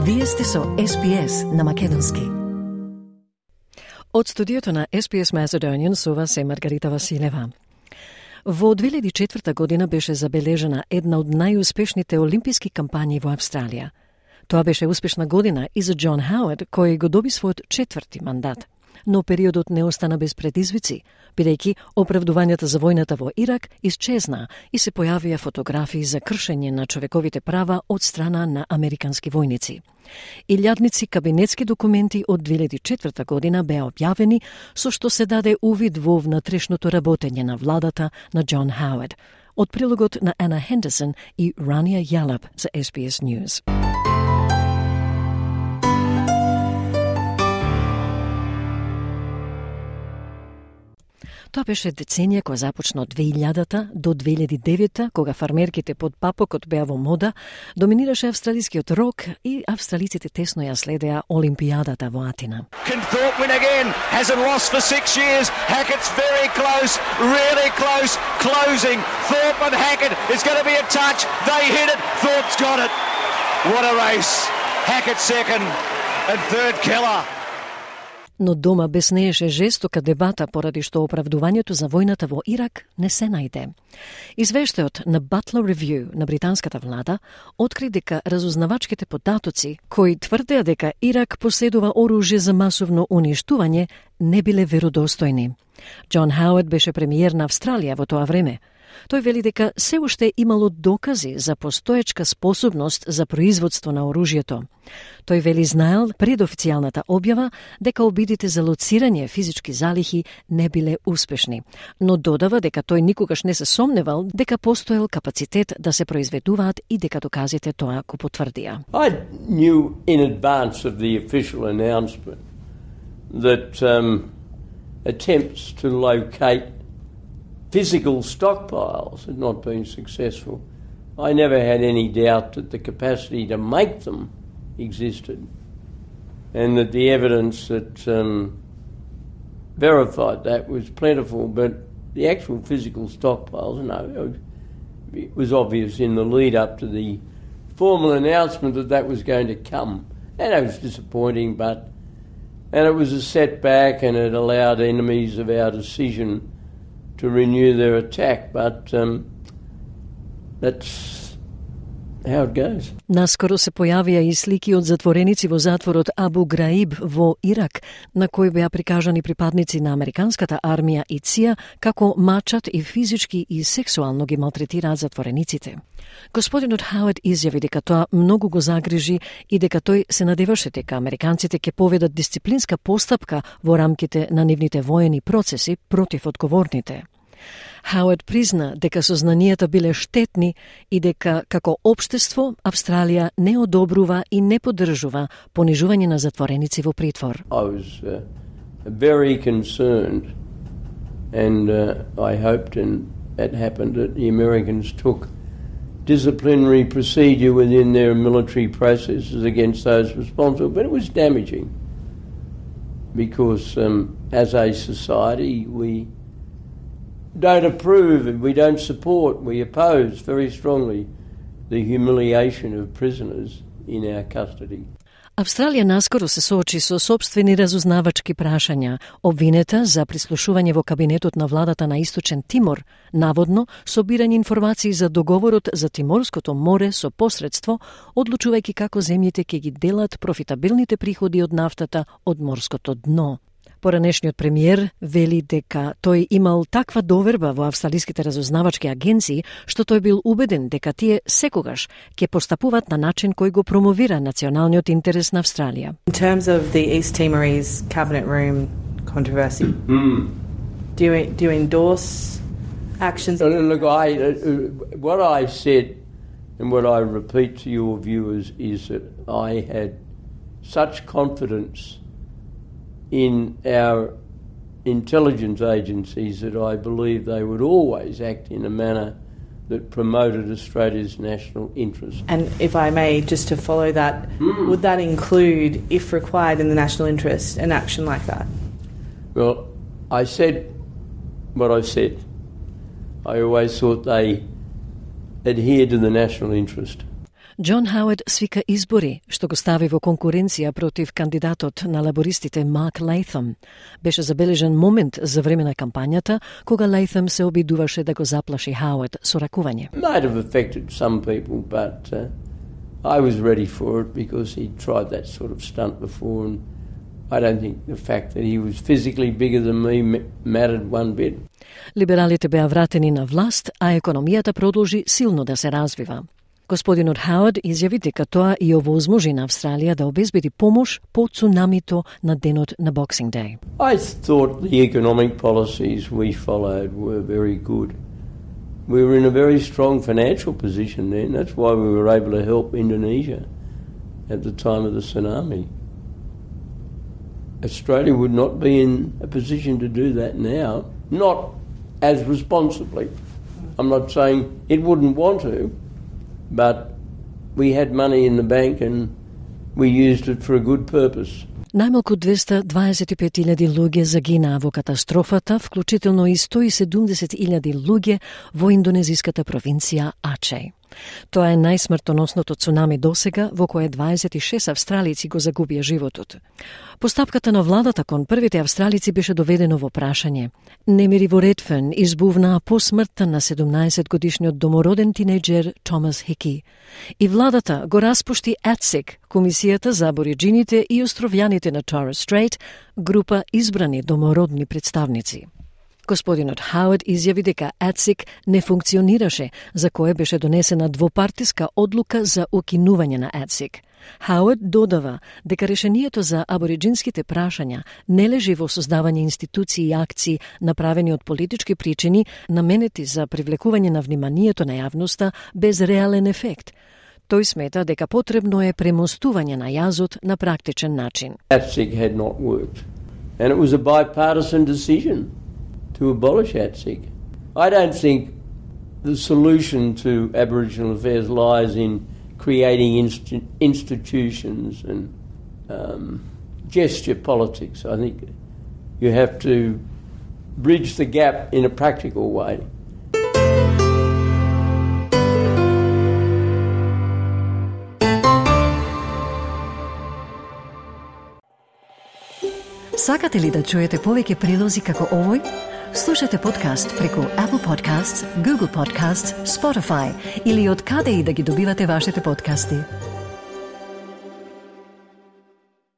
Вие сте со SPS на македонски. Од студиото на SPS Macedonian со вас е Маргарита Василева. Во 2004 година беше забележена една од најуспешните олимписки кампањи во Австралија. Тоа беше успешна година и за Џон Хауард, кој го доби својот 4ти мандат. Но периодот не остана без предизвици, бидејќи оправдувањата за војната во Ирак исчезна и се појавија фотографии за кршење на човековите права од страна на американски војници. Илјадници кабинетски документи од 2004 година беа објавени, со што се даде увид во внатрешното работење на владата на Џон Хауард. Од прилогот на Ана Хендерсон и Рания Ялаб за SBS News. Тоа беше деценија која започна од 2000 до 2009, кога фармерките под папокот беа во мода, доминираше австралискиот рок и австралиците тесно ја следеа Олимпијадата во Атина. Can Thorpe win again? Hasn't lost for 6 years. Hackett's very close, really close, closing. Thorpe and Hackett, it's going to be a touch. They hit it. Thorpe's got it. What a race. Hackett second and third Keller. Но дома беснееше жестока дебата поради што оправдувањето за војната во Ирак не се најде. Извештајот на Butler Review на британската влада откри дека разузнавачките податоци кои тврдеа дека Ирак поседува оружје за масовно уништување не биле веродостојни. Џон Хауард беше премиер на Австралија во тоа време. Тој вели дека се уште имало докази за постоечка способност за производство на оружјето. Тој вели знаел пред официјалната објава дека обидите за лоцирање физички залихи не биле успешни, но додава дека тој никогаш не се сомневал дека постоел капацитет да се произведуваат и дека доказите тоа го потврдија. I knew in advance of the official announcement that attempts to locate physical stockpiles had not been successful. I never had any doubt that the capacity to make them existed and that the evidence that verified that was plentiful, but the actual physical stockpiles, no, it was obvious in the lead up to the formal announcement that that was going to come, and it was disappointing, and it was a setback, and it allowed enemies of our decision to renew their attack, but that's how it goes. Наскоро се појавија и слики од затвореници во затворот Абу Граиб во Ирак, на кои беа прикажани припадници на американската армија и ЦИА како мачат и физички и сексуално ги малтретираат затворениците. Господинот Хауард изјави дека тоа многу го загрижи и дека тој се надеваше дека американците ќе поведат дисциплинска постапка во рамките на нивните воени процеси против одговорните. Хауард призна дека сознанијата биле штетни и дека како општество Австралија не одобрува и не поддржува понижување на затвореници во притвор. I was very concerned and I hoped and it happened that the Americans took disciplinary procedure within their military processes against those responsible, but it was damaging because as a society we don't approve and we don't support, we oppose very strongly the humiliation of prisoners in our custody. Австралија наскоро се соочи со сопствени разузнавачки прашања, обвинета за прислушување во кабинетот на владата на Источен Тимор, наводно собирање информации за договорот за Тиморското море со посредство, одлучувајќи како земјите ќе ги делат профитабилните приходи од нафтата од морското дно. Поранешниот премиер вели дека тој имал таква доверба во австралиските разузнавачки агенции, што тој бил убеден дека тие секогаш ќе постапуваат на начин кој го промовира националниот интерес на Австралија. In terms of the East Timorese cabinet room controversy, do you endorse actions? Look, what I said and what I repeat to your viewers is that I had such confidence in our intelligence agencies that I believe they would always act in a manner that promoted Australia's national interest. And if I may, just to follow that, would that include, if required in the national interest, an action like that? Well, I said what I said. I always thought they adhered to the national interest. Џон Хауард свика избори, што го стави во конкуренција против кандидатот на лабористите Марк Лейтъм. Беше забележен момент за време на кампањата, кога Лейтъм се обидуваше да го заплаши Хауард со ракување. Might have affected some people, but I was ready for it because he tried that sort of stunt before, and I don't think the fact that he was physically bigger than me mattered one bit. Либералите беа вратени на власт, а економијата продолжи силно да се развива. Господинот Хауард изјави дека тоа и овозможи на Австралија да обезбеди помош по цунамито на денот на Boxing Day. I thought the economic policies we followed were very good. We were in a very strong financial position then. That's why we were able to help Indonesia at the time of the tsunami. Australia would not be in a position to do that now, not as responsibly. I'm not saying it wouldn't want to, but we had money in the bank and we used it for a good purpose. Најмалку 225.000 луѓе загинаа во катастрофата, вклучително и 170.000 луѓе во индонезиската провинција Ачеј. Тоа е најсмртоносното цунами досега, во кое 26 австралици го загубија животот. Постапката на владата кон првите австралици беше доведено во прашање. Немири во Редферн избувнаа по смртта на 17-годишниот домороден тинејџер Томас Хики. И владата го распушти ATSIC, Комисијата за абориџините и островјаните на Торres Strait, група избрани домородни представници. Господинот Хауард изјави дека ATSIC не функционираше, за кое беше донесена двопартиска одлука за укинување на ATSIC. Хауард додава дека решението за абориџинските прашања не лежи во создавање институции и акции направени од политички причини, наменети за привлекување на вниманието на јавноста без реален ефект. Тој смета дека потребно е премостување на јазот на практичен начин. ATSIC had not worked, and it was a bipartisan decision to abolish ATSIC. I don't think the solution to Aboriginal affairs lies in creating institutions and gesture politics. I think you have to bridge the gap in a practical way. Сакате ли да чуете повеќе прилози како овој? Слушате подкаст преку Apple Podcasts, Google Podcasts, Spotify или од каде и да ги добивате вашите подкасти.